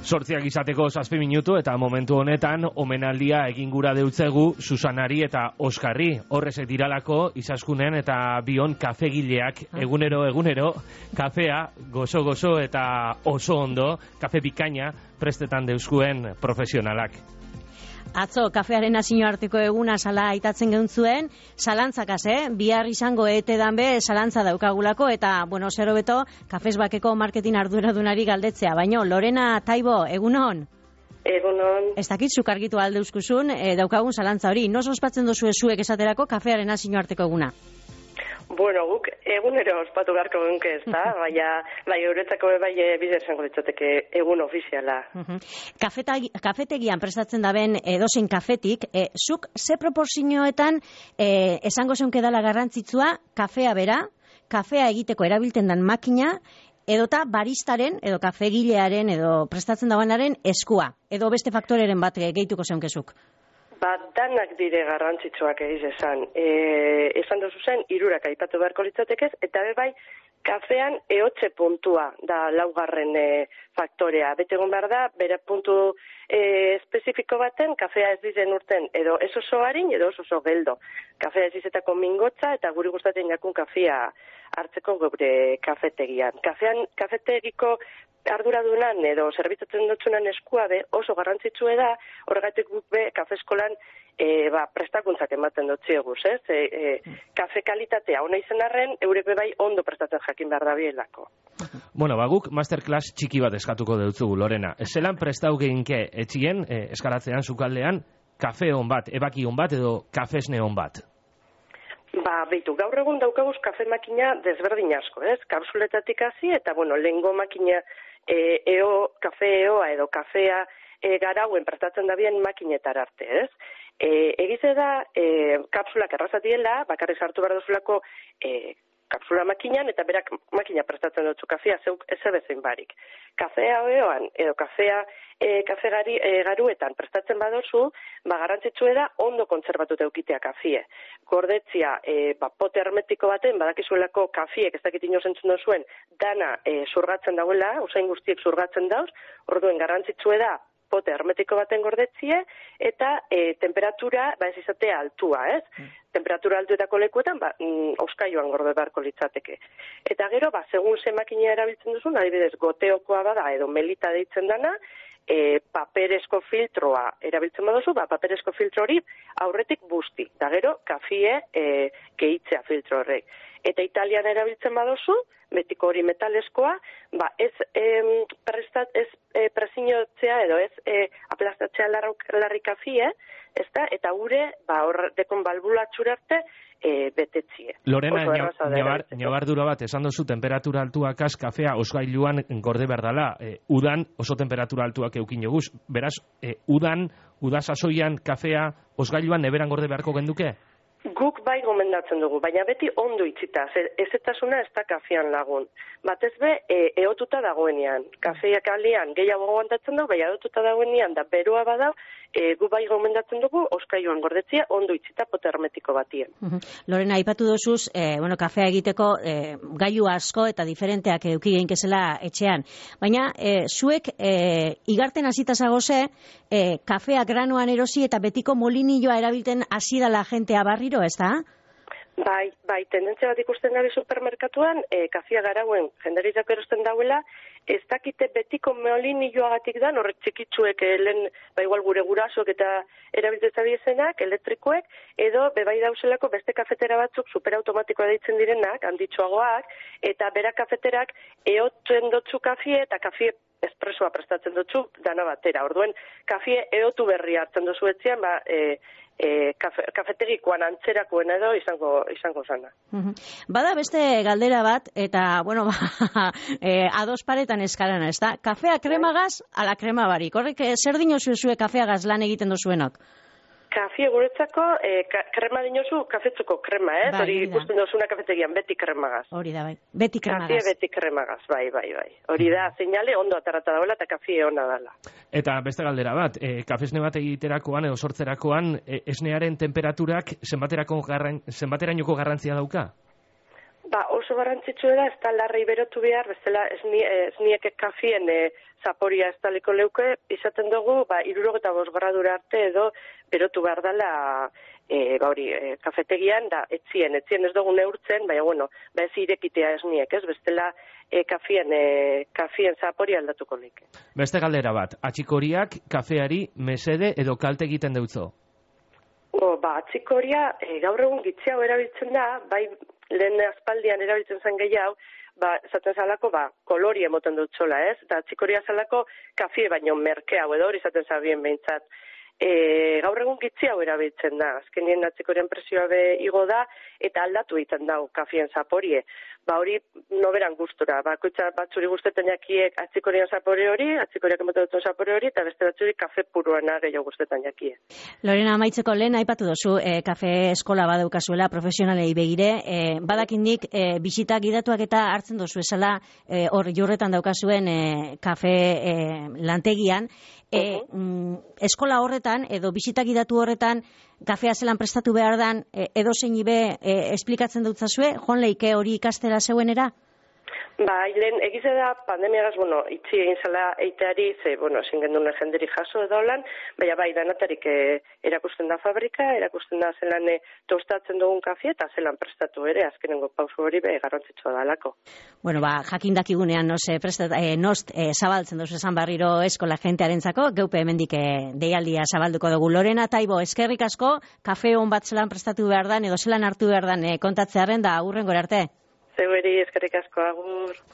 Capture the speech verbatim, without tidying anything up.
Sortziak izateko zazpi minutu eta momentu honetan omenaldia egin gura deutzegu Susanari eta Oskarri. Horrezek diralako izaskunen eta bion kafegileak egunero egunero kafea gozo-gozo eta oso ondo, kafe bikaina prestetan deuskuen profesionalak. Atzo, kafearen nazio arteko eguna sala aitatzen geuntzuen, zalantzakaz, eh? Bihar izango etedan be, zalantza daukagulako, eta, bueno, zero beto, kafez bakeko marketing arduradunari galdetzea. Baina, Lorena Taibo, egunon? Egunon. Ez dakit, zuk argitu aldeuzkuzun, e, daukagun zalantza hori. Noz ospatzen dozu zuek esaterako kafearen nazio arteko eguna? Bueno, guk egunero ospatu beharko genke ez da, baina bai euretzako bai bider esango ditzateke egun ofiziala. Kafetegian prestatzen daben edozein kafetik, e, zuk ze proporzioetan e, esango zeunke dela garrantzitsua kafea bera, kafea egiteko erabiltzen den makina, edota baristaren, edo kafegilearen, edo prestatzen dagoenaren eskua, edo beste faktoreren bat gehituko zeunkezuk? Ba, danak dire garrantzitsuak egiz esan. E, esan dozu zen, irurak aipatu beharko litzatekez, eta bai, kafean eotze puntua da laugarren e, faktorea. Betegon behar da, bere puntu e, espezifiko baten, kafea ez dizen urten, edo ez oso harin, edo ez oso geldo. Kafea ez izetako mingotza, eta guri gustatzen jakun kafea hartzeko gure kafetegian. Kafean, kafetegiko arduradunan edo zerbitzatzen dutzunan eskua be oso garrantzitsue da, horregatik guk be kafeskolan e, ba, prestakuntzak ematen dut zieguz, ez? E, e, kafe kalitatea ona izan arren, eurek bai ondo prestatzen jakin behar da bielako. Bueno, ba, guk masterclass txiki bat eskatuko deutzugu, Lorena. Zelan prestau geinke etxien, e, eskalatzean, sukaldean, kafe on bat, ebaki on bat edo kafesne on bat? Ba, beitu, gaur egun daukaguz kafe makina desberdin asko, ez? Kapsuletatik hasi eta, bueno, lehengo makina E, eo, kafe eoa edo kafea e, garauen prestatzen da bien makinetar arte, ez? E, egize da, e, kapsulak errazatiela, bakarri sartu behar duzulako e, kapsula makinan, eta berak makina prestatzen dutzu kafea, zeuk ez ebezein barik. Kafea eoan edo kafea e, kafe gari, e, garuetan prestatzen badozu, ba, garrantzitsue da ondo kontzerbatu eukitea kafie. Gordetzia, e, ba, pote hermetiko baten, badakizuelako kafiek, ez dakit inoz entzun duzuen, dana e, zurgatzen dauela, usain guztiek zurgatzen dauz, orduen garrantzitsue da, pote hermetiko baten gordetzie, eta e, temperatura, ba ez izatea altua, ez? Mm. Temperatura altuetako lekuetan, ba, mm, auskaioan gorde beharko litzateke. Eta gero, ba, segun ze makina erabiltzen duzun, adibidez, goteokoa bada, edo melita deitzen dana, e, paperezko filtroa erabiltzen baduzu, ba, paperezko filtro hori aurretik busti. Da gero, kafie e, gehitzea filtro horrek. Eta Italian erabiltzen baduzu, betiko hori metalezkoa, ba, ez, em, prestat, ez e, presiniotzea edo ez e, aplastatzea larri kafie, ez da, eta gure, ba, hor dekon balbulatxura arte, e, betetzie. Lorena, nabardura bat, esan dozu temperatura altuak az, kafea osgailuan gorde behar dela, e, udan oso temperatura altuak eukin joguz, beraz, e, udan, udasasoian kafea osgailuan neberan gorde beharko genduke? Guk bai gomendatzen dugu, baina beti ondo itzita, ezetasuna ez da kafean lagun. Batez be, e, eotuta dagoenean. Kafeak alian gehiago gomendatzen dugu, baina eotuta dagoenean da beroa badau, e, gu bai gomendatzen dugu, oskaioan gordetzia, ondo itzita pote hermetiko batien. Lorena, aipatu dozuz, e, bueno, kafea egiteko e, gailu asko eta diferenteak eduki geinkezela etxean. Baina, e, zuek e, igarten hasita zagoze, e, kafea granoan erosi eta betiko molinilloa erabilten hasi dala jentea barriro, ez da? Bai, bai, tendentzia bat ikusten gabe supermerkatuan, e, kafea garauen jenderizako erosten dauela, ez dakite betiko molinilloagatik da, horrek txikitzuek e, lehen, ba igual gure gurasoek eta erabiltza biezenak, elektrikoek, edo bebai dauzelako beste kafetera batzuk superautomatikoa deitzen direnak, handitxoagoak, eta bera kafeterak eotzen dotzu kafie eta kafie espresoa prestatzen dutzu dana batera. Orduen, kafie eotu berri hartzen duzu etzian, ba, e, e, kafe, kafetegikoan antzerakoen edo izango izango zana. Bada beste galdera bat, eta, bueno, ba, e, ados paretan eskarana, ez da? Kafea kremagaz, ala krema barik. Horrek, zer dinozu zue kafeagaz lan egiten dozuenok? Kafie guretzako, e, ka, krema dinozu kafetzuko krema, ez? Bai, hori ikusten dozuna kafetegian, beti kremagaz. Hori da, bai. Beti kremagaz. Kafie beti kremagaz, bai, bai, bai. Hori da, seinale ondo atarata dagoela eta kafie ona dela. Eta beste galdera bat, e, kafesne bat egiterakoan edo sortzerakoan, e, esnearen temperaturak zenbaterako garran, zenbaterainoko garrantzia dauka? Ba, oso garrantzitsua da, ez da larrei berotu behar, bezala esniek kafien e, zaporia ez daliko leuke, izaten dugu, ba, irurogeta bost gradura arte edo berotu behar dela e, ba, hori, e, kafetegian, da, etzien, etzien ez dugu neurtzen, baina, bueno, ba, ez irekitea esniek, ez, bestela e, kafien, e, kafien zaporia aldatuko leke. Beste galdera bat, atxikoriak kafeari mesede edo kalte egiten deutzo? O, ba, atxikoria e, gaur egun gitziago erabiltzen da, bai, lehen aspaldian erabiltzen zen gehiago, ba, zaten zalako, ba, kolori emoten dut zola, ez? Eta txikoria zalako kafie baino merkea, edo hori zaten zabien behintzat. E, gaur egun gitzi hau erabiltzen da, azkenien atxikorien presioa be igo da, eta aldatu egiten dau kafien zaporie. Ba, hori noberan gustura, bakoitza batzuri gustetan jakiek atxikorien zapore hori, atxikoriak emoten duten zapore hori, eta beste batzuri kafe puruana gehiago gustetan jakie. Lorena, amaitzeko lehen aipatu dozu, e, kafe eskola badaukazuela, profesionalei begire, e, badakindik e, bisitak gidatuak eta hartzen dozu esala, e, hor jurretan daukazuen e, kafe e, lantegian, e, uh-huh. mm, eskola horretan, edo bisitak gidatu horretan, kafea zelan prestatu behar dan, e, edo zein ibe e, esplikatzen dutzazue, joan leike hori ikastela zeuenera? Ba, lehen, egize da, pandemiagaz, bueno, itxi egin zela eiteari, ze, bueno, ezin gendun jenderi jaso edo lan, baina bai, danatarik e, erakusten da fabrika, erakusten da zelan e, tostatzen dugun kafia, eta zelan prestatu ere, azkenengo pausu hori be, garrantzitsua dalako. Bueno, ba, jakindakigunean, no se prestat, e, nost, e, zabaltzen duzu esan barriro eskola jentearentzako, geupe hemendik e, deialdia zabalduko dugu. Lorena Taibo, eskerrik asko, kafe hon bat zelan prestatu behar dan, edo zelan hartu behar dan, e, kontatzearen da, urren gora arte. Zeuberi, eskerrik asko, agur.